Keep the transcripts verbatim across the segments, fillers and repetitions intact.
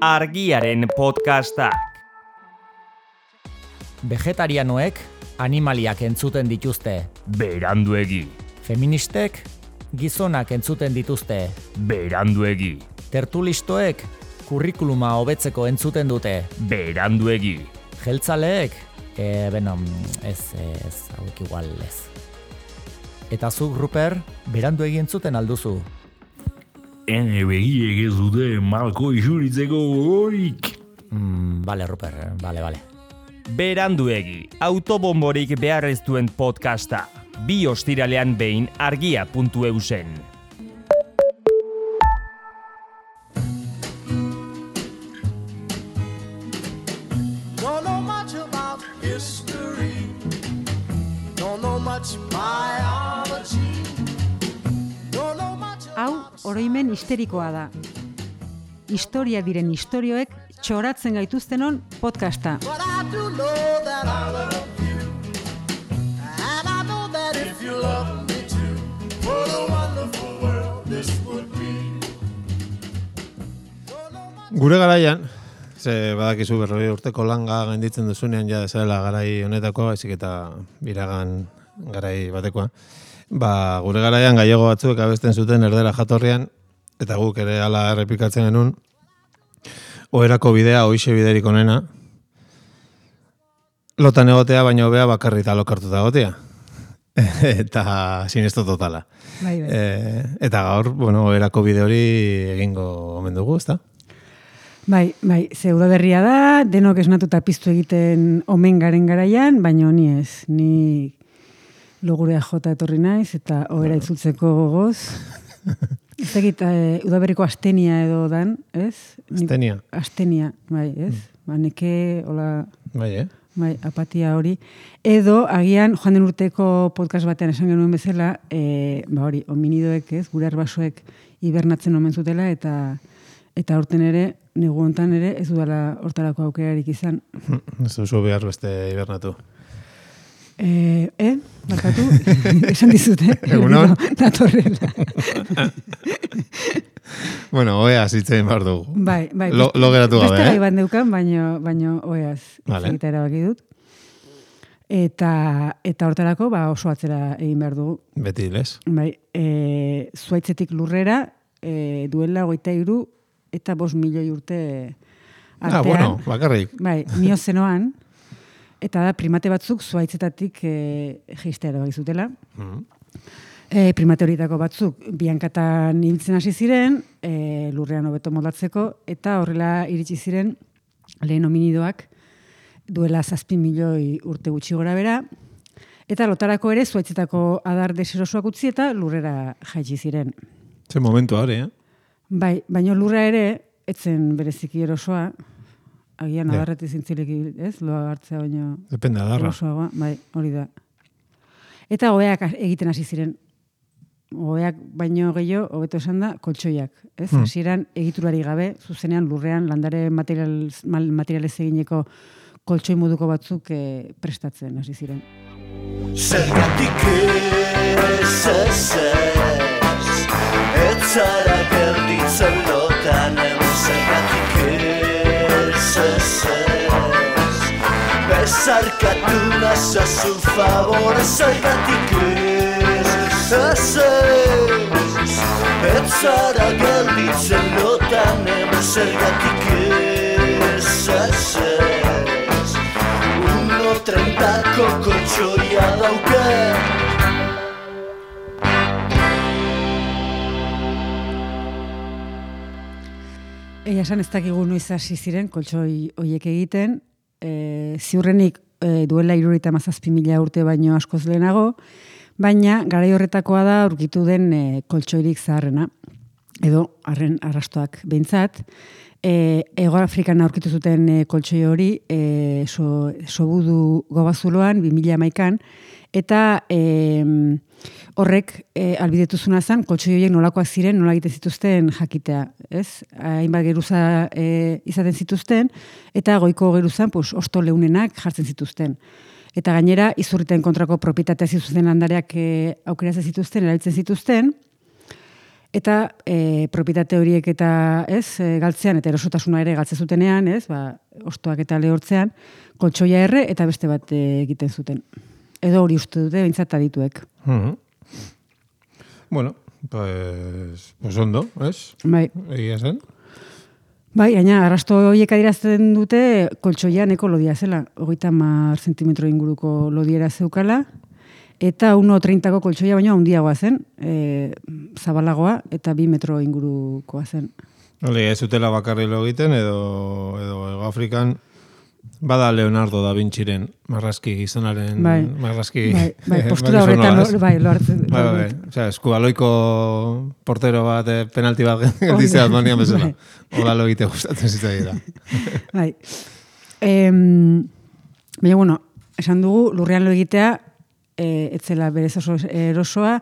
Argiaren podcastak. Vegetarianoek animaliak entzuten dituzte. Beranduegi. Feministek gizonak entzuten dituzte. Beranduegi. Tertulistoek kurrikuluma hobetzeko entzuten dute. Beranduegi. Jeltzaleek, e, beno, ez, ez, hauek igual ez. Eta zuk, Ruper, beranduegi entzuten alduzu. Ene begiek ez dute malko isuritzeko gogorik. Mm, bale, Ruper, bale, bale. Beranduegi, autobomborik behar ez duen podcasta. Bi ostiralean behin argia puntu eusen. Don't know much about history. Don't know much biology. Don't know much Hau, oroimen histerikoa da. Historia diren istorioek txoratzen gaituztenon podcasta. But I do know that I love you. And I know that if you love me too, what a wonderful world this would be. Gure garaian, ze badakizu berroi urteko langa gainditzen duzunean ja zela garai honetako, baizik eta biragan garai batekoa. Ba, gure garaian gallego batzuek abesten zuten erdera jatorrian, eta guk ere hala errepikatzen genuen, oherako bidea, hoixe biderik onena, lotan egotea, baina hobea bakarrita lokartuta egotea. Eta sinesto totala. Bai, bai. E, eta gaur, bueno, oherako bide hori egingo omen dugu, ezta? Bai, bai, ze udaberria da, denok esnatuta piztu egiten omen garen garaian, baina ni ez, ni logurea jota etorri naiz, eta ohera itzultzeko gogoz. Ez egit, e, udaberriko astenia edo dan, ez? Ni- Astenia. Astenia, bai, ez? Ba, neke, hola, Bai, eh? bai, apatia hori. Edo, agian, joan den urteko podcast batean esan genuen bezala, e, ba hori, hominidoek, ez, gure arbasoek hibernatzen omen zutela, eta eta aurten ere, negu hontan ere, ez dudala hortarako aukerarik izan. Ez duzu behar beste hibernatu. E, eh, bakatu, esan dizute. Egunon. Datorrela. Bueno, oea zitzen behar dugu. Bai, bai. Lo, lo geratu gabe, Beste gai eh? bat neukan, baino, baino oeaz Vale. egita erabaki dut. Eta, eta hortarako, ba, oso atzera egin behar dugu. Beti, les? Bai, e, zuaitzetik lurrera, e, duela hogeita hiru eta bost milioi urte artean. Ah, bueno, bakarrik. Bai, miozenoan, eta da primate batzuk zuaitzetatik e, jeistea erabaki zutela. Mm. E, primate horietako batzuk bihankatan ibiltzen hasi ziren, e, lurrean hobeto moldatzeko, eta horrela iritsi ziren lehen hominidoak duela zazpi milioi urte gutxi gora bera, eta lotarako ere zuaitzetako adar deserosoak utzi eta lurrera jaitsi ziren. Ze momentu hori, eh? Bai, baino lurra ere, etzen bereziki erosoa, agian Ja. adarretik zintzileki, ez? Loa hartzea baino Depende adarra. erosoagoa, bai, hori da. Eta oheak egiten hasi ziren. Oheak baino gehiago, hobeto esan da, koltsoiak. Ez? Hmm. Hasieran egiturari gabe, zuzenean lurrean landare material, mal- materialez egineko koltsoi moduko batzuk eh, prestatzen hasi ziren. Zergatik ez ez ez, ez zara gelditzen lotan hemen. Zergatik ez ez ez, bezarkatu nazazu favor. Zergatik ez ez ez, ez zara gelditzen lotan hemen. Zergatik ez ez ez, uno trentako koltsoia dauke. Egia esan ez dakigu noiz hasi ziren koltsoi hoiek egiten, e, ziurrenik e, duela hirurogeita hamazazpi mila urte baino askoz lehenago, baina garai horretakoa da aurkitu den e, koltsoirik zaharrena, edo arren arrastoak behintzat. E, Ego Afrikan aurkitu zuten e, koltsoi hori e, so, sobudu gobazuloan bi mila hamaikan, eta e, horrek e, albidetuzuna zen koltsoi horiek nolakoak ziren, nola egiten zituzten jakitea, ez? Hainbat geruza e, izaten zituzten, eta goiko geruzan pues, osto leunenak jartzen zituzten. Eta gainera, izurriten kontrako propietatea zituzten landareak e, aukeratzen zituzten, erabiltzen zituzten, Eta e, propietate horiek eta ez, e, galtzean eta erosotasuna ere galtze zutenean, ez, ba, ostoak eta lehortzean, koltsoia erre eta beste bat e, egiten zuten. Edo hori uste dute, behintzat adituek. Mhm. Bueno, pues, pues ondo, ez? Bai, Egia zen. bai, gaina, arrasto horiek adirazten dute koltsoia neko lodia zela. Hogeita hamar zentimetro inguruko lodiera zeukala, eta uno treinta ko koltsoia baino handiagoa zen, e, zabalagoa, eta bi metro ingurukoa zen. Ole, ez zutela bakarri lo egiten, edo, edo Ego Afrikan, bada Leonardo da Vinciren marrazki gizonaren, Bai. marrazki... Bai, bai, eh, postura gizonola, horretan, ez? lo- bai, lo hartzen. Bai, bai, bai. Osea, eskubaloiko portero bat, eh, penalti bat gelditzea banian bezala. Hola lo egite gustatzen zitzaida. Bai. Em, baina, bueno, esan dugu, lurrean lo egitea, e, etzela berez oso erosoa,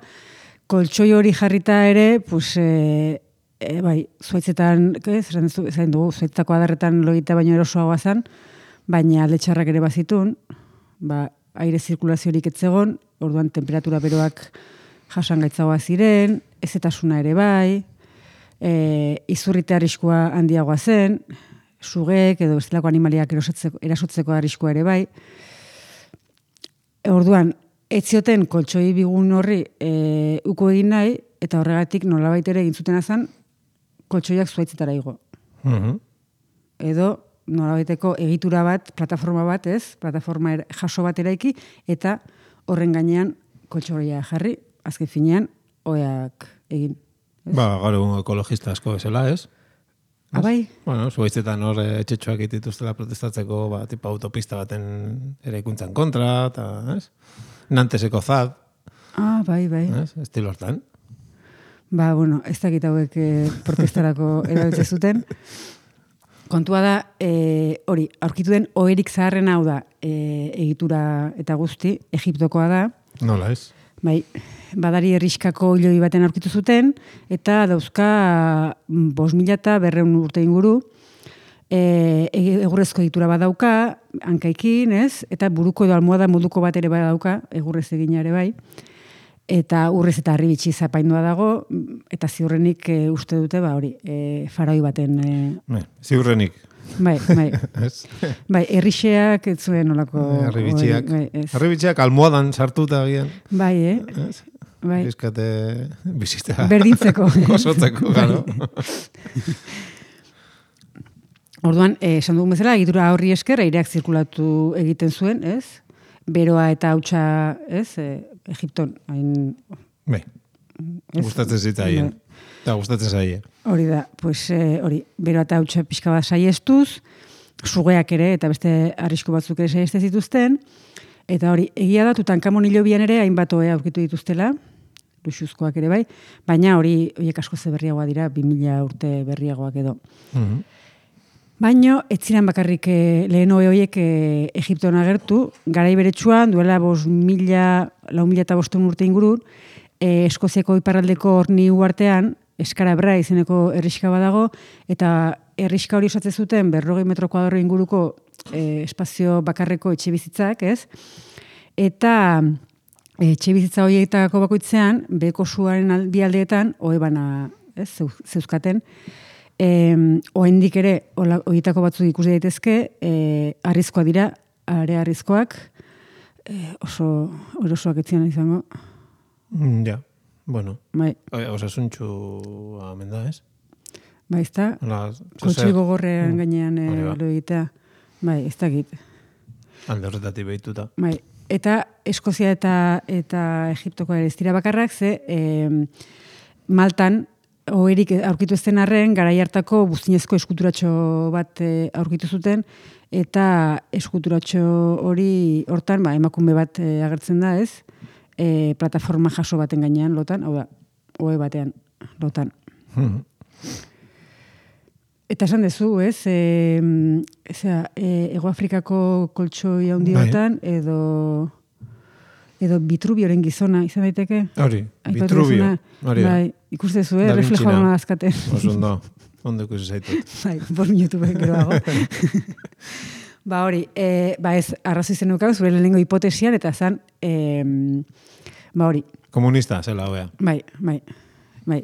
koltsoi hori jarrita ere, pues, e, e, bai, zuaitzetan, ez, esan duzu- esan dugu, zuaitzako adarretan lo egitea baino erosoagoa zen, baina letxarrak ere bazitun, ba, aire zirkulaziorik etzegon, orduan temperatura beroak jasangaitzagoa ziren, ezetasuna ere bai, e, izurrite arriskua handiagoa zen, sugek edo bestelako animaliak erosotzeko, erasotzeko arriskua ere bai. Orduan, ez zioten koltsoi bigun horri e, uko egin nahi, eta horregatik nolabait ere egin zutena zen, koltsoiak zuaitzetara igo. Mhm. Edo nolabaiteko egitura bat, plataforma bat, ez? Plataforma er, jaso bat eraiki, eta horren gainean koltsoia jarri, azken finean, oeak egin. Ba, gaur egun ekologista asko bezala, ez? Ah, bai? Bueno, zuaitzetan hor eh, etxetxoak dituztela protestatzeko, ba, tipo autopista baten eraikuntzan kontra, eta, ez? Nanteseko zad, Ah, bai, bai. ez? Estilo hortan. Ba, bueno, ez dakit hauek eh, protestarako erabiltzen zuten. Kontua da, e, hori, aurkitu den oherik zaharren hau da, e, egitura eta guzti, Egiptokoa da, Nola, ez? bai, badari herriskako hiloi baten aurkitu zuten, eta dauzka bost mila eta berreun urte inguru, e, egurrezko egitura badauka, hankaikin, ez? Eta buruko edo almohada moduko bat ere badauka, egurrez egina ere bai, eta urrez eta harribitxi zapaindua dago, eta ziurrenik e, uste dute, ba hori, e, faraoi baten... E, Ne, ziurrenik, bai, bai, ez? bai, herrixeak ez zuen olako... Harribitxiak. Bai, ez. Harribitxiak almohadan sartuta agian. Bai, eh? Bai. Bizkate bizita. Berdintzeko. Gozotzeko, gano. Orduan, eh, esan dugun bezala, egitura horri esker, aireak zirkulatu egiten zuen, ez? Beroa eta hautsa, ez? E, Egipton, hain... Bai, ez? gustatzen zitzaien. Bai. Eta gustatzen zaie. Hori da, pues, eh, hori, beroa eta hautsa pixka bat saiestuz, sugeak ere, eta beste arrisku batzuk ere saieste zituzten, eta hori, egia da, Tutankamon hilobian ere, hainbat ohe aurkitu dituztela, luxuzkoak ere bai, baina hori, horiek asko ze berriagoa dira, bi mila urte berriagoak edo. Mhm. Baino, ez ziren bakarrik eh, lehen ohe horiek eh, Egipton agertu, garai beretsuan, duela bos mila, lau mila eta bosten urte ingurun, eh, Eskoziako iparraldeko horni uartean, Eskarabra izeneko herriska badago, eta herriska hori osatzen zuten berrogei metro kuadro inguruko eh, espazio bakarreko etxe bizitzak, ez? Eta etxe bizitza horietako bakoitzean, beheko suaren al- bi aldeetan, ohe bana, ez, zeuz- zeuzkaten, Eh, oendik ere, horietako batzuk ikusi daitezke, eh, arrizkoa dira, are arrizkoak, eh, oso erosoak etzian izango. Mm, ja, bueno. Bai, Eh, Osasuntxu amen da, ez? bai, ez da, Hola, kotxoi gogorrean Mm. gainean eh, Hori ba. lo egitea. Bai, ez dakit. Alde horretatik behituta. Bai, eta Eskozia eta eta Egiptoko ere ez dira bakarrak, ze eh, Maltan, oherik aurkitu ezten arren, garai hartako buztinezko eskuturatxo bat e, aurkitu zuten, eta eskuturatxo hori hortan, ba, emakume bat e, agertzen da, ez? E, plataforma jaso baten gainean lotan, hau da, ohe batean lotan. Mhm. Eta esan dezu, ez? E, ezea, e, Ego Afrikako koltsoi handi Bai. batean, edo edo Bitrubioren gizona izan daiteke? Hori, Aipatu Vitruvio. duzuna, Hori da. bai, ikustezu, eh? Da Reflejo Vinci-na. hona azkaten. Oso ondo, ondo ikusi zaitut. Bai, bost minutu geroago. Ba hori, e, ba ez, arrazoi zen nukau, zure lehenengo hipotesian, eta zan, e, ba hori, Komunista, zela, hobea. bai, bai, bai.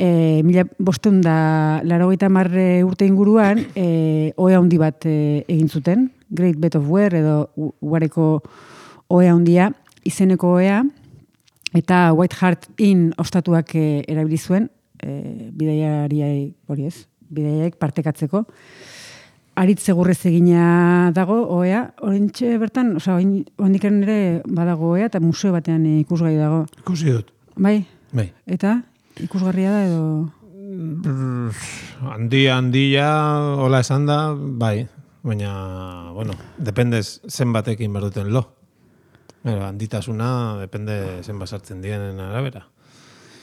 e, mila bosteun da larogeita marre urte inguruan, e, ohe handi bat e, egin zuten, Great Bed of Ware edo ugareko ohe handia, izeneko ohea, eta White Hart Inn ostatuak e, erabili zuen, e, bidaiariai, hori ez, bidaiaiek partekatzeko. Aritz egurrez egina dago ohea, orintxe bertan, osea, oandiken ere badago ohea, eta museo batean ikusgai dago. Ikusi dut. Bai? Bai. Eta, ikusgarria da edo... Handia, handia, hola esan da, bai. Baina, bueno, dependez zenbatekin berduten lo. Pero, handitasuna, depende zenbat sartzen dienen arabera.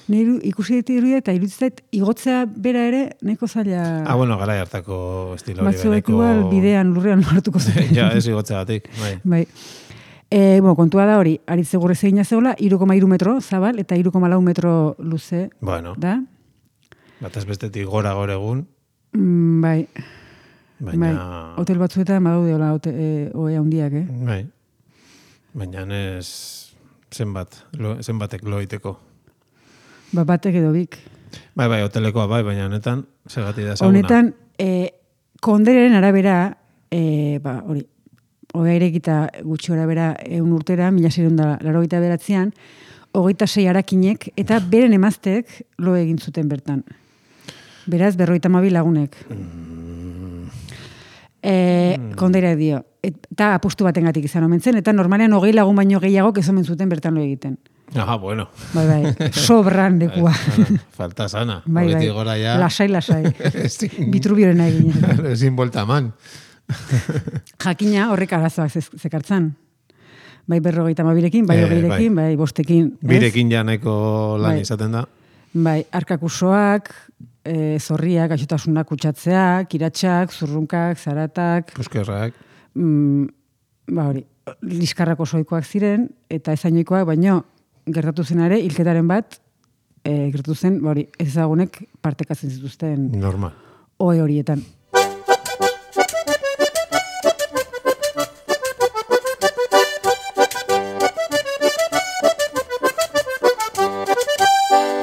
Niru, ikusi ditu irudia eta iruditzait igotzea bera ere nahiko zaila... Ah, bueno, garai hartako estilo hori beneko... Batzuek igual bidean lurrean hartuko zen. Ja, ez igotzea batik, bai. Bai. E, bueno, kontua da hori, aritz egurrez egina zegoela, hiru koma hiru metro zabal eta hiru koma lau metro luze. Bueno. Da? Bataz bestetik gora gaur egun. Mm, bai. Baina... Bai. Hotel batzuetan badaude hola e, ohe handiak, eh? Bai. Baina ez zenbat, lo, zenbatek loiteko. Ba, batek edo bik. Bai, bai, hotelekoa bai, baina honetan, segati da ezaguna. Honetan, e, konderen arabera, e, ba, hori, ohea irekita gutxi arabera eun urtera, mila seiehun da laurogeita bederatzian, hogeita sei harakinek, eta beren emazteek lo egin zuten bertan. Beraz, berrogeita hamabi lagunek. Mm. E, mm. Kondera dio. Eta apustu batengatik izan omen zen, eta normalean hogei lagun baino gehiago ez omen zuten bertan lo egiten. Ah, bueno. Bai, bai, sobran lekua. Falta sana. Bai, bai, gora ja... lasai, lasai. Bitrubioren egin. Ezin bolta man. Jakina horrek arazoak zekartzan. Bai berrogeita hamabirekin, bai Eh, hogeirekin, bai bostekin. ez? Birekin ja nahiko lan Bai. izaten da. Bai, arkakusoak, e, zorriak, gaixotasunak kutsatzeak, iratxak, zurrunkak, zaratak, Puskerrak. mm, ba hori, liskarrako soikoak ziren, eta ezainoikoak, baino, gertatu zen ere, hilketaren bat, e, gertatu zen, ba hori, ezagunek partekatzen zituzten Normal. ohe horietan.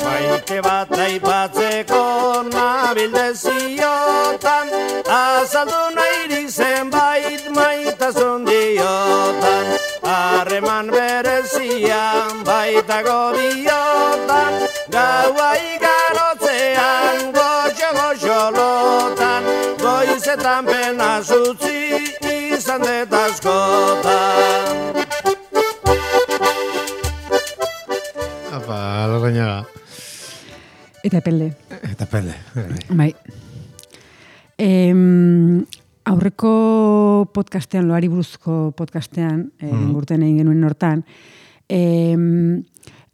Maite bat aipatzeko nabildeziotan, azaldu nahi zenbait maitasun diotan, harreman berezian baitago diotan, gaua igarotzean goxo-goxo lotan, goizetan pena zutzi izan detaskotan. Apa, Larrañaga. Eta epelde. Eta pele. Bai. Em, aurreko podcastean, loari buruzko podcastean, mm. e, gurten egin genuen hortan, em,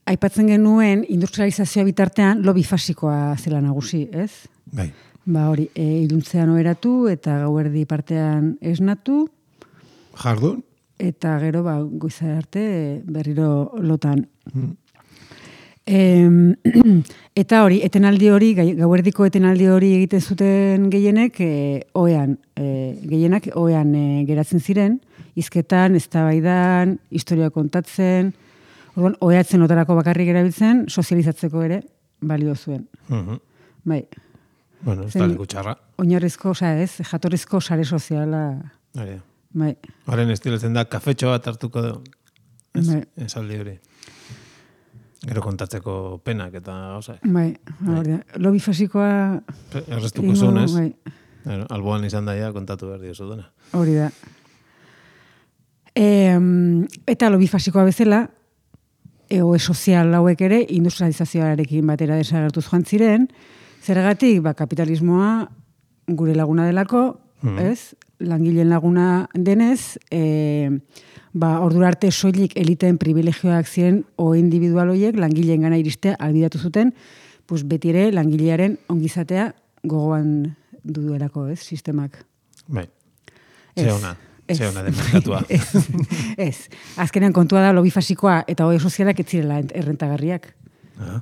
aipatzen genuen industrializazioa bitartean lo bifasikoa zela nagusi, ez? Bai. Ba hori, e, iluntzean oheratu eta gauerdi partean esnatu, Jardun? eta gero ba, goiza arte berriro lotan. Mm. Em, eta hori, etenaldi hori, gai- gauerdiko etenaldi hori egiten zuten gehienek, e, ohean, e, gehienak ohean e, geratzen ziren, hizketan, eztabaidan, historia kontatzen, orduan, oheatzen lotarako bakarrik erabiltzen, sozializatzeko ere balio zuen. Mhm. Bai, Bueno, ez Zen- da leku txarra. oinarrizko, osea ez, jatorrizko sare soziala, Hori. bai, Horren estiletzen da, kafetxo bat hartuko du. Ez, Bai. esaldi hori. Gero kontatzeko penak eta gauza. bai, hori da. Lo bifasikoa... Errestuko egingo- zunez. bai, Bueno, alboan izan daia kontatu behar diozu dena. hori da. E, eta lo bifasikoa bezala, egoe sozial hauek ere industrializazioarekin batera desagertuz joan ziren, zergatik ba, kapitalismoa gure laguna delako, Mhm. ez? Langileen laguna denez, e, ba, ordura arte soilik eliteen privilegioak ziren o individual horiek langileen gana iristea albidatu zuten, pues beti ere langilearen ongizatea gogoan duelako, ez, sistemak. Bai. Ez. Ze ona. Ez. Ze ona den merkatua. Ez. Ez. Azkenean kontua da lobi fasikoa eta ohe sozialak ez zirela ent- errentagarriak. Ah.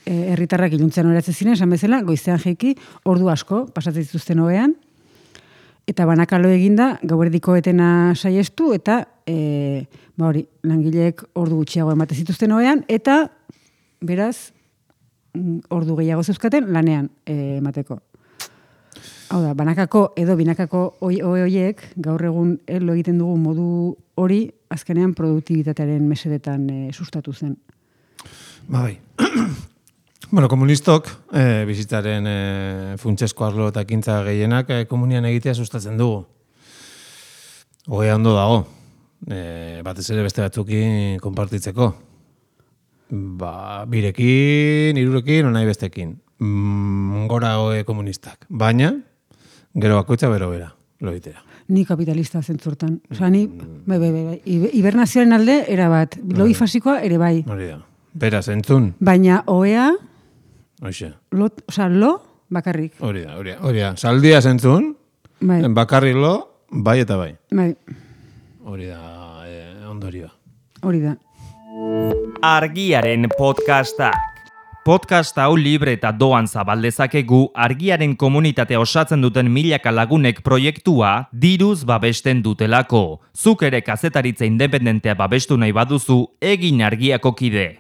E, herritarrak iluntzen oratzen ziren, esan bezala, goizean jeiki, ordu asko pasatzen zituzten ohean, eta banakalo eginda, gauerdiko etena saiestu, eta e, ba hori, langileek ordu gutxiago ematen zituzten ohean, eta beraz, ordu gehiago zeuzkaten lanean eh, emateko. Hau da, banakako edo binakako oi, oi, oiek, gaur egun lo egiten dugu modu hori, azkenean produktibitatearen mesedetan e, sustatu zen. Ba, bai. Bueno, komunistok, e, bizitzaren e, funtsesko arlo eta ekintza gehienak e, komunian egitea sustatzen dugu. Hogea ondo dago, e, batez ere beste batzukin konpartitzeko. Ba, birekin, hirurekin, nahi bestekin. Mm, gora hoe komunistak. Baina, gero bakoitza bero bera, lo egitera. Ni kapitalista zentzurtan. Osa, ni, bai, bai, bai, hibernazioaren alde, erabat. Logi fasikoa ere bai. Hori da. Beraz, entzun. Baina, oea, Hoxe. lo, osa, lo, bakarrik. Hori da, hori da. Hori da. Saldia zentzun, Bai, bakarrik lo, bai eta bai. bai, Hori da, eh, ondorioa. hori da. Argiaren podcastak. Podcast hau libre eta doan zabaldezakegu Argiaren komunitatea osatzen duten milaka lagunek proiektua diruz babesten dutelako. Zuk ere kazetaritza independentea babestu nahi baduzu, egin Argiako kide.